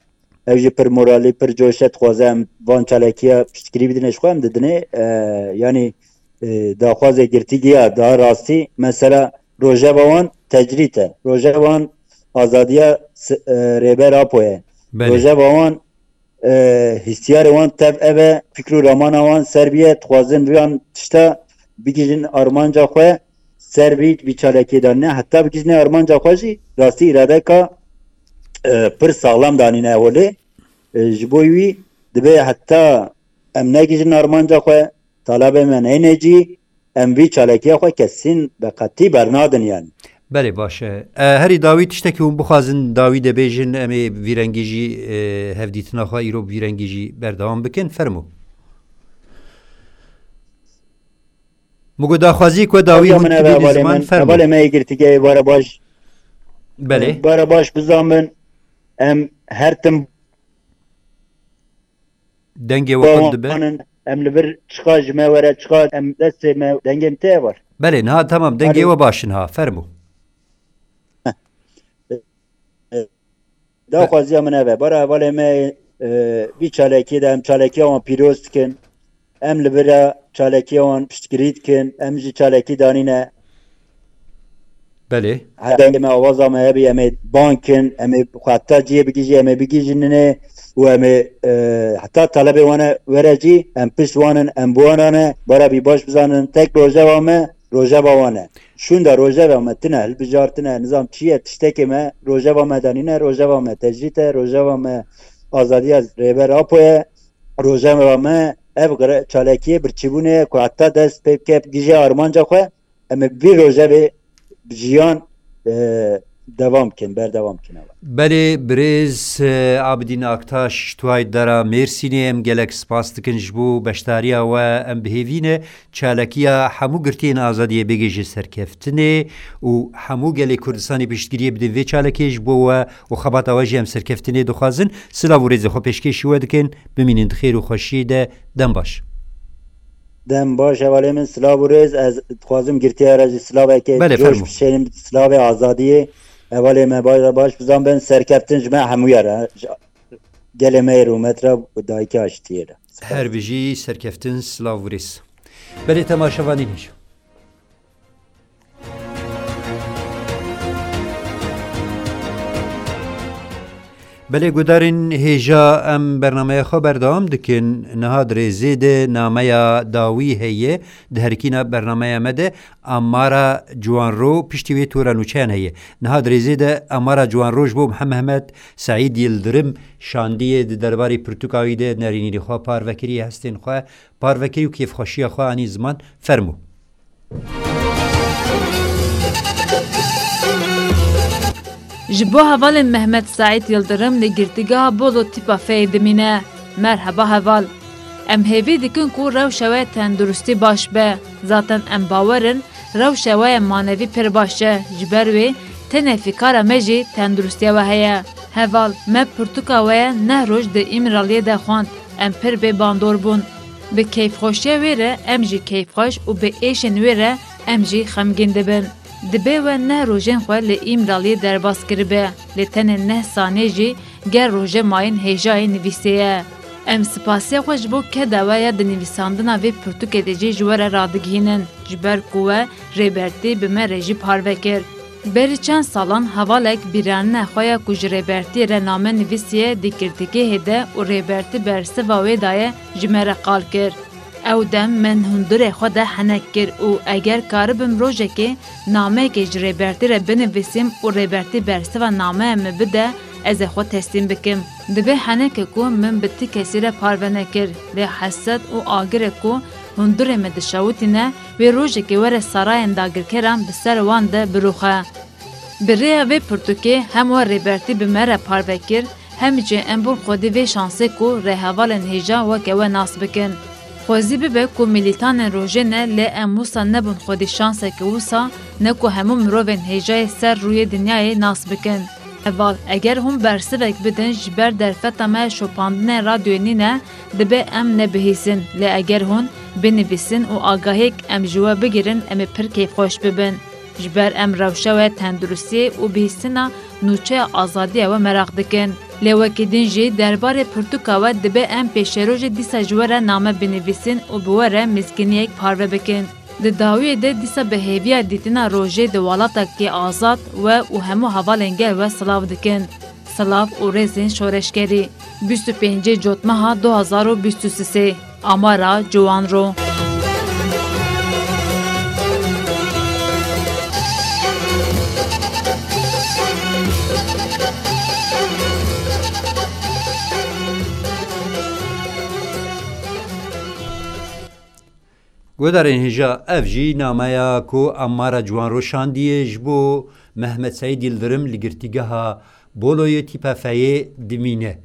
Ew jî pir moralî, pir coş e, dixwaze em van çalakiya piştgirî bidine ji xwe, em didinê. E, yanî, e, daxwazê girtî giya, daha rastî, mesela rojeva wan tecrîd e. Rojeva wan azadiya s-, e, Rêber Apo ye. Belê. Rojeva wan, e, hîstiyarê wan tev ev e, fikr û ramana wan ser biye, dixwazin vî an tişta bigihîjin armanca xwe, ser vî, vî çalakiyê de ne, heta bigihîjinê armanca xwe jî rastî îradeka, e, pir saxlam danîne holê. E, ji bo wî dibe heta em negihîjin armanca xwe, talabê me neyne cî, em vî çalakiya xwe kesîn be qetî bernadin yani. Belê, baş e. E, herî dawî tiştekî hûn bixwazin dawî de bêjin, em ê vî rengî jî, e, hevdîtina xwe îro bi vî rengî jî berdewam bikin. Fermo. Min got daxwazî ku dawî Hevdiya hûn min eve tibî hevalê ziman, min, fermo. Hevalê me yê girtîgehê, bara baş. Belê. Bara baş bizan bin, em her tim Dengê we qut dibe? Em li vir çiqa ji me were, çiqa em destê me, dengê min tê ye var. Belê, niha temam, dengê Alo. we baş in ha, fermo. Daxwaziya min ev e. Bara hevalê me, e, vî çalakiyê de em çalakiya wan pîroz dikin. Em li vira çalakiya wan piştgirî dikin. Em jî çalakî danîne. Belê. Heta dengê me, awaza me hebî, em ê bang kin, em ê xwe heta cihê bigihîjî, em ê bigihîjînê û em ê, e, heta talebê wan e were jî, em pişt wan in, em bi wan re ne, bara bî baş bizanin, tek rojeva me, rojeva wan e. Şûnda rojeva me tine, hilbijartine, nizam çi ye, tiştekê me, rojeva me danîne, rojeva me tecrît e, rojeva me azadiya Rêber Apo ye, rojeva me ev gre-, çalakiyê birçîbûnê ye ku heta dest pê bike, gije armanca xwe, em ê vî rojevê jiyan, e, devam bikin, berdewam bikin. Belê, birêz, e, Abidîn Aktaş, ji tuway dera Mêrsînê, em gelek spas dikin ji bo beşdariya we, em bi hêvî ne. Çalakiya hemû girtiyên azadiyê bigihîje serkeftinê û hemû gelê Kurdistanê piştgiriyê bidin vê çalakê ji bo we û xebata we jî em serkeftinê dixwazin. Silav û rêzê xwe pêşkêşî we dikin. Bimînin di xêr û xweşiyê de. Dem baş. Dem baş hevalê min, silav û rêz. Ez dixwazim girtiya re jî silavekê Belê, coş fermo. bişênim, silavê azadiyê. Hevalê me baş re baş bizan bin, serkeftin ji me hemûya re. Ji gelê me yê rûmet re û dayikê aştiyê re. Spas. Her bijî, serkeftin, silav û rêz. Belê temaşevanên hêja. Belê guhdarên hêja, em bernameya xwe berdewam dikin. Niha di rêzê de nameya dawî heye. Di herikîna bernameya me de Amara Ciwanro piştî wê tora nûçeyan heye. Niha di rêzê de Amara Ciwanro ji bo Mihe-, Mehmet Seîd Yildirim şandiyê, di derbarê pirtûka wî de nerînîrê xwe parve kiriye, hestên xwe parve kiriye û kêfxweşiya xwe anî ziman. Fermo. Ji bo hevalên Mehmet Seîd Yildirim li girtîgeha Bolo tîpa Feyê dimîne. Merheba heval. Em hêvî dikin ku rewşa we tenduristî baş be. Zaten em bawer in, rewşa we ya manevî pir baş e. Ji ber wê tenê fîkara me jî tenduristiya we heye. Heval, me pirtûka we ya neh roj di Îmraliyê de xwend. Em pir bê bandor bûn. Bi keyfxweşiya wê re em jî keyfxweş û bi êşên wê re em jî xemgîn dibin. Dibê we neh rojên xwe li Îmraliyê derbas kiribe, lê tenê neh saniyê jî ger rojê mayîn hêjayê nivîsê ye. Em spasiya xwe ji bo keda we ya di nivîsandina vê pirtûkê de jî ji we re radigihînin, ji ber ku we Rêbertî bi me re jî parve kir. Berî çend salan hevalek bîranîna xwe ya ku ji Rêbertî re name nivîsiye di girtîgehê de û Rêbertî bersiva wê daye ji me re qal kir. Ew dem min hundirê xwe de henek kir û eger karibim rojekê nameyekê ji Rêbertî re binivîsim û Rêbertî bersiva nameya min bide, ez ê xwe teslîm bikim. Divê henekê ku min bi ti kesî re parve nekir, lê hesret û agirê ku hundirê min dişewitîne, wê rojekê were sarayên dagirkeran bi ser wan de birûxe. Bi rêya vê pirtûkê hem we Rêbertî bi me re parve kir, hem jî em bûn xwedî vê şansê ku rêhevalên hêja weke we nas bikin. Xwezî bibe ku milîtanên rojê ne, lê em wisa nebûn xwedî şanseke wisa, ne ku hemû mirovên hêjayê ser rûyê dinyayê nas bikin. Heval, eger hûn bersivek bidin ji ber derfeta me şopandinên radyoyê nîne, dibe em nebihîsin, lê eger hûn binivîsin û agahiyek em ji we bigirin, em ê pir keyfxweş bibin. Ji ber em rewşa we tenduristiyê û bihîstina nûçeya azadiya we meraq dikin. Lê wekî din jî derbarê pirtûka we dibe em pêşerojê dîsa ji we re name binivîsin û bi we re mizgîniyek parve bikin. Di dawiyê de dîsa bi hêviya dîtina rojê di welatekî azad we û hemû hevalên gel we silav dikin. Silav û rêzên şoreşgerî. Bîst û pêncê Cotmeha du hazar û bîst û sê. Amara Ciwanro. Guhdarên hêja, ev jî nameya ku Amara Ciwanro şandiye ji bo Mehmet Seîd Yildirim li girtîgeha Boloyê tîpa Feyê dimîne.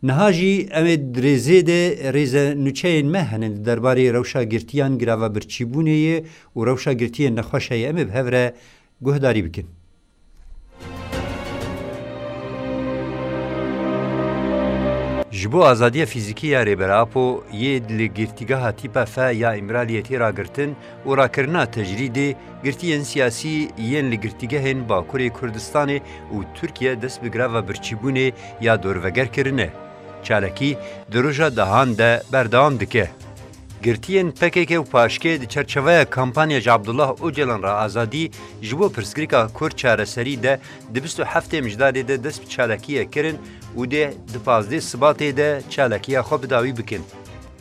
Niha jî em ê di rêzê de rêze nûçeyên me hene di derbarê rewşa girtiyan, girava birçîbûnê ye û rewşa girtiyên nexweş heye. Em ê bi hev re guhdarî bikin. Ji bo azadiya fîzîkî ya Rêber Apo yê li girtîgeha tîpa F ya Îmraliyê tê ragirtin û rakirina tecrîdê, girtiyên siyasî yên li girtîgehên Bakurê Kurdistanê û Tirkiye dest bi greva birçîbûnê ya dorveger kirine. Çalakî di roja dahan de berdewam dike. Girtiyên P K K û P A Ş K'ê di çerçeveya kampanya Ji Abdullah Ocalan re Azadî ji bo pirsgirêka Kurd çareserî de di bîst û heftê Mijdarê de dest bi çalakiyê kirin û dê di pazdeh Sibatê de çalakiya xwe bi dawî bikin.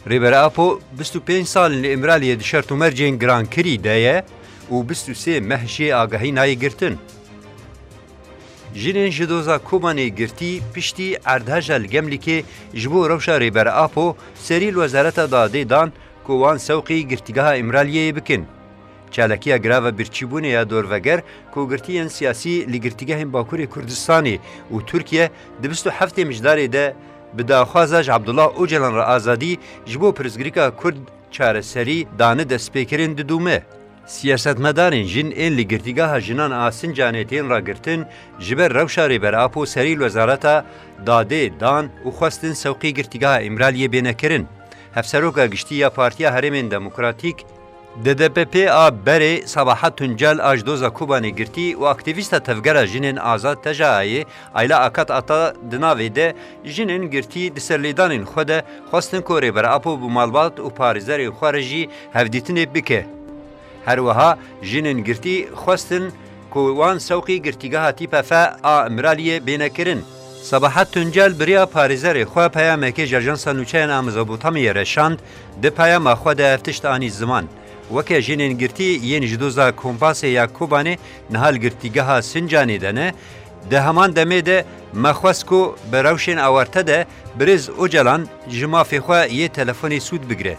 Rêber Apo bîst û pênc sal in li Îmraliyê di şert û mercên girankirî de ye û bîst û sê meh jê agahî nayê girtin. Jinên ji doza Kobanê girtî piştî erdheja li Gemlîkê ji bo rewşa Rêber Apo serî li Wezareta Dadê dan ku wan sewqî girtîgeha Îmraliyeyê bikin. Çalakiya grava birçîbûnê ya dorveger ku girtiyên siyasî li girtîgehên Bakurê Kurdistanê û Tirkiye di bîst û heftê Mijdarê de bi daxwaza Ji Abdullah Ocalan re Azadî ji bo pirsgirêka Kurd çareserî dane destpêkirin didome. Siyasetmedarên jin ên li Girtîgeha Jinan a Sincanê tên ragirtin, ji ber rewşa Rêber Apo serî li Wezareta Dadê dan û xwestin sewqî Girtîgeha Îmraliyê bêne kirin. Hevseroka Giştî ya Partiya Herêmên Demokratîk, D D P P a berê Sabahat Tuncel a ji doza Kobanê girtî û aktîvîsta Tevgera Jinên Azad TJA'yê Ayla Akat Ata di navê de jinên girtî di serlêdanên xwe de xwestin ku Rêber Apo bi malbat û parêzerên xwe re jî hevdîtinê bike. Her wiha jinên girtî xwestin ku wan sewqî girtîgeha tîpa F a Îmraliyê bêne kirin. Sabahat Tuncel bi riya parêzerê xwe peyamekê ji Ajansa Nûçeyan a Mezopotamyayê re şand, di peyama xwe de ev tişt anî ziman. Weke jinên girtî yên ji doza Kompasê ya Kobanê niha li girtîgeha Sincanê de ne, di heman demê de me xwest ku bi rewşên awarte de birêz Ocalan ji mafê xwe yê telefonê sûd bigire.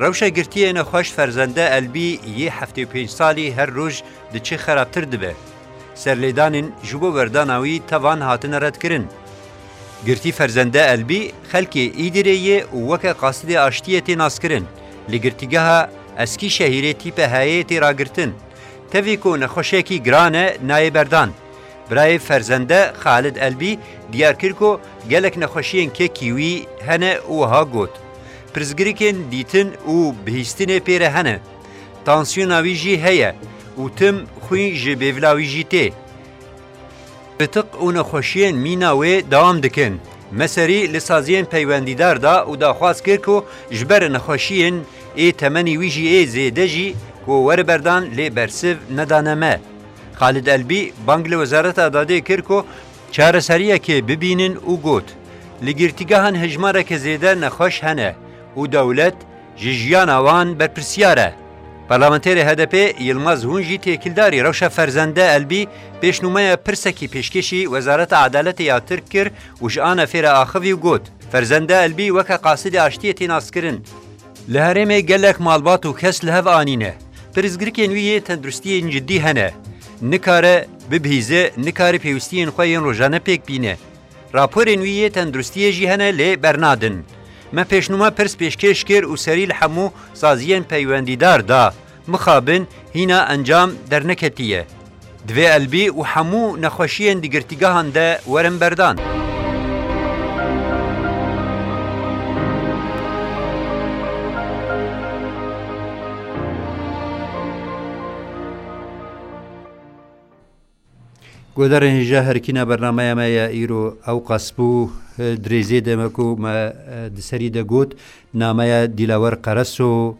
Rewşa girtiyê nexweş Ferzende Elbî yê heftê û pênc salî her roj diçe xerabtir dibe. Serlêdanên ji bo berdana wî tevan hatine redkirin. Girtî Ferzende Elbî xelkê Îdirê yê û weke qasidê aştiyê tê naskirin. Li girtîgeha Eskîşehîrê tîpe heyê tê ragirtin. Tevî ku nexweşiyekî giran e, nayê berdan. Birayê Ferzende Xalid Elbî diyar kir ku gelek nexweşiyên kekî wî hene û wiha got, pirsgirêkên dîtin û bihîstinê pê re hene. Tansiyona wî jî heye û tim xwîn ji bêvila wî jî tê. Pitiq û nexweşiyên mîna wê dewam dikin. Me serî li saziyên peywendîdar da û daxwaz kir ku ji ber nexweşiyên ê temenî wî jî ê zêde jî ku were berdan lê bersiv nedane me. Xalid Elbî bang li Wezareta Dadê kir ku çareseriyekê bibînin û got, li girtîgehan hejmareke zêde nexweş hene û dewlet ji jiyana wan berpirsiyar e. Parlamenterê H D P Yilmaz Hun jî têkildarî rewşa Ferzende Elbî pêşnûmeya pirsekî pêşkêşî Wezareta Edaletê ya Tirk kir û ji ANF'ê re axivî û got, Ferzende Elbî weke qasidê aştiyê tê naskirin. Li herêmê gelek malbat û kes li hev anîne. Pirsgirêkên wî yê tenduristiyên cidî hene. Nikare bibihîze, nikare pêwistiyên xwe yên rojane pêk bîne. Raporên wî yê tenduristiyê jî hene lê bernadin. Me pêşnûma pirs pêşkêş kir û serî li hemû saziyên peywendîdar da. Mixabin hîna encam derneketiye. Divê Elbî û hemû nexweşiyên di girtîgehan de werin berdan. Guhdarên hêja herikîna bernameya me ya îro ewqas bû. Di rêzê de me ku me, e, di serî de got, nameya Dîlawer Qereso,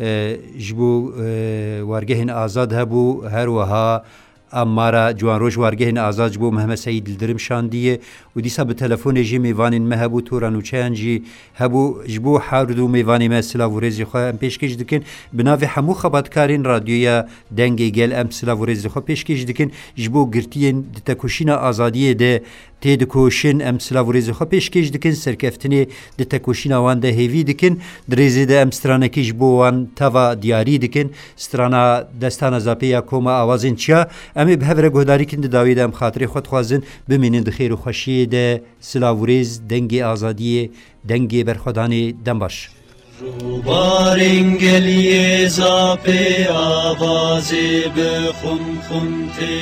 e, ji bo, e, wargehên azad hebû, her wiha Ammara Ciwanroj wargehên azad ji bo Mehmet Seîd Yildirim şandiye û dîsa bi telefonê jî mêvanên me hebû, tora nûçeyan jî hebû. Ji bo her du mêvanê me silav û rêzê xwe em pêşkêş dikin. Bi navê hemû xebatkarên Radyoya Dengê Gel em silav û rêzê xwe pêşkêş dikin. Ji bo girtiyên di tekoşîna azadiyê de têdikoşin em silav û rêzê xwe pêşkêş dikin. Serkeftinê di tekoşîna wan de hêvî dikin. Di rêzê de em stranekî ji bo wan teva diyarî dikin. Strana Destana Zapê ya Koma Awazên Çiya. Em ê bi hev re guhdarî kin, di dawî de em xatirê xwe dixwazin. Bimînin di xêr û xweşiyê de. Silav û rêz, dengê azadiyê, dengê berxwedanê, dem baş. Rûbarên geliyê Zapê avazê bi xum xum tê.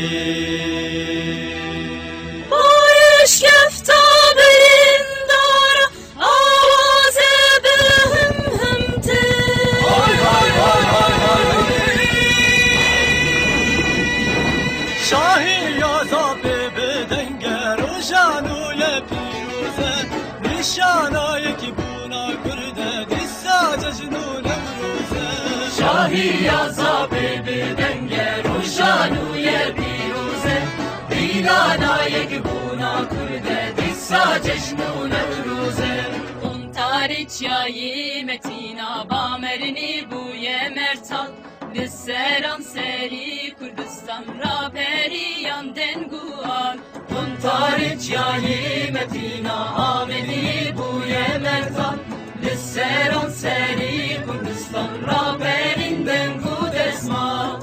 Barış kefta berên Şahiya Zapê bi denge roja nû ye pîroz e. Dîdana yekbûna Kurd e, dîsa cejn û Newroz e. Quntarê çiyayê Metîna Bamernê bûye mertal. Li seranserî Kurdistan raperiyan deng û al. Quntarê çiyayê Metîna Amedî bûye mertal. Li seranserî Kurdistan raperîn deng û destmal.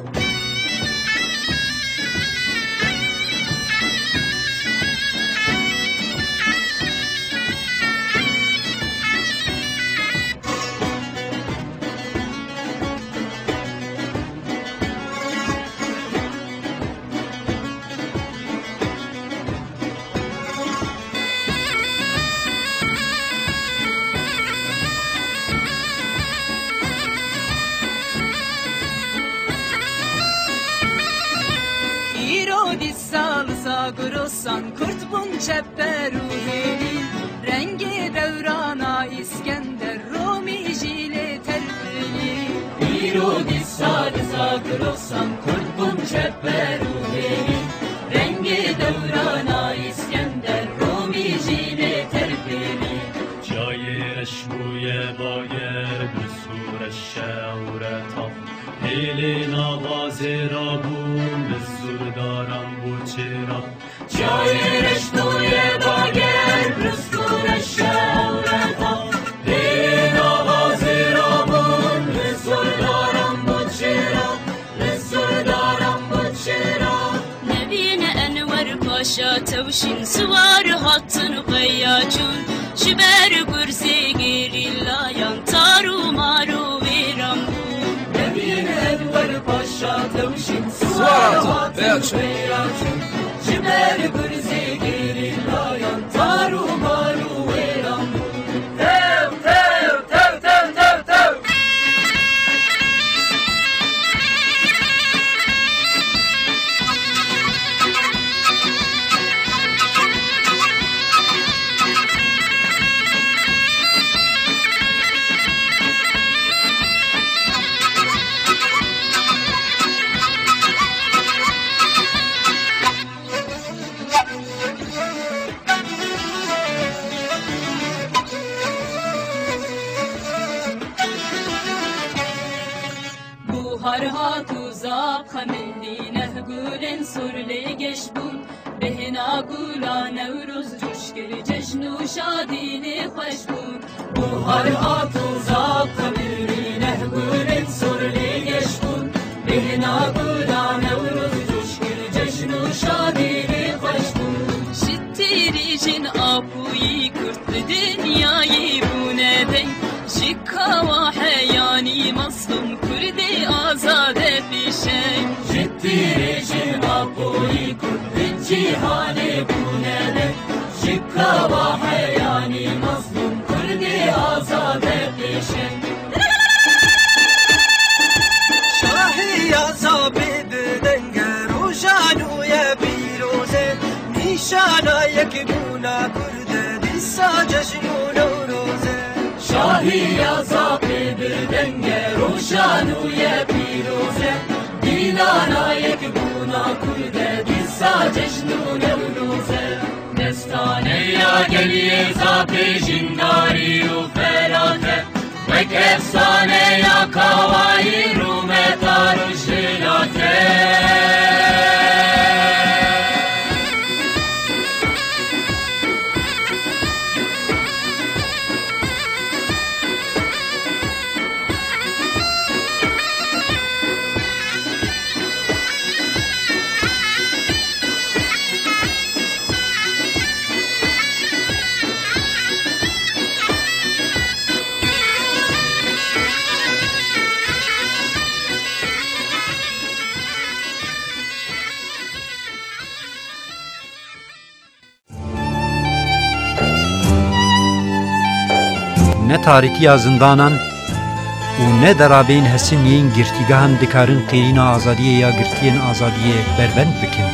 Îro dîsa li Zagrosan Kurd bûn çeper û hêlî. Rengê dewrana Îskender Romî jî lê terpilî. Îro dîsa li Zagrosan Kurd bûn çeper û hêlî. Rengê dewrana Îskender Romî jî lê terpilî. Çiyayê reş bûye bager, bi sûre şewreta. Hêlê nava zêra bûn, bi sûrdaran bû çêra. Çiyayê reş bûye bager, bi sûre şewreta. Hêlê nava zêra bûn, bi sûrdaran bû çêra. Li Surdaran bû çira. Nebîne Enwer Paşa tewşîn siwar hatin xweya çûn. Ji ber gurzê gerîlayan tar û mar û wêran bûn. Nebîne Enwer Paşa tewşîn siwar hatin xweya çûn. Ji ber gurzê gerîlayan tar û mar û wêran bûn. Tew, tew, tew, tew, tew, tew. Buhar hat û zap xemilî, neh gulên sur lê geş bûn. Bêhna gula Newroz coş kir, cejn û şadî lê xweş bûn. Buhar hat û zap xemilî, neh gulên sur lê geş bûn. Bêhna gula Newroz coş kir, cejn û şadî lê xweş bûn. Ji tîrî jin apûyî Kurd li dinyayê bûne deng. Ji kawa heyanî mazlûm Kurdê azade pêşeng. Ji tîrê jin apûyî Kurd li cîhanê bûne deng. Ji kawa heyanî mazlûm Kurdê azade pêşeng. Şahiya Zapê bi denge roja nû ye pîroz e. Nîşana yekbûna Kurd e, dîsa cejn û Newroz e. Şahiya Zapê bi denge roja nû ye pîroz e. Dîdana yekbûna Kurd e, dîsa cejn û Newroz e. Destaneya geliyê Zapê jîndarî û ferat e. Wek efsaneya Kawayî rûmeta rojhilate. Ne tarîtiya zindanan û ne derabeyên hesin yên girtîgehan dikarin qêrîna azadiyê ya girtiyên azadiyê berbend bikin.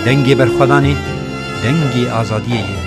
Dengê berxwedanê, dengê azadiyê ye.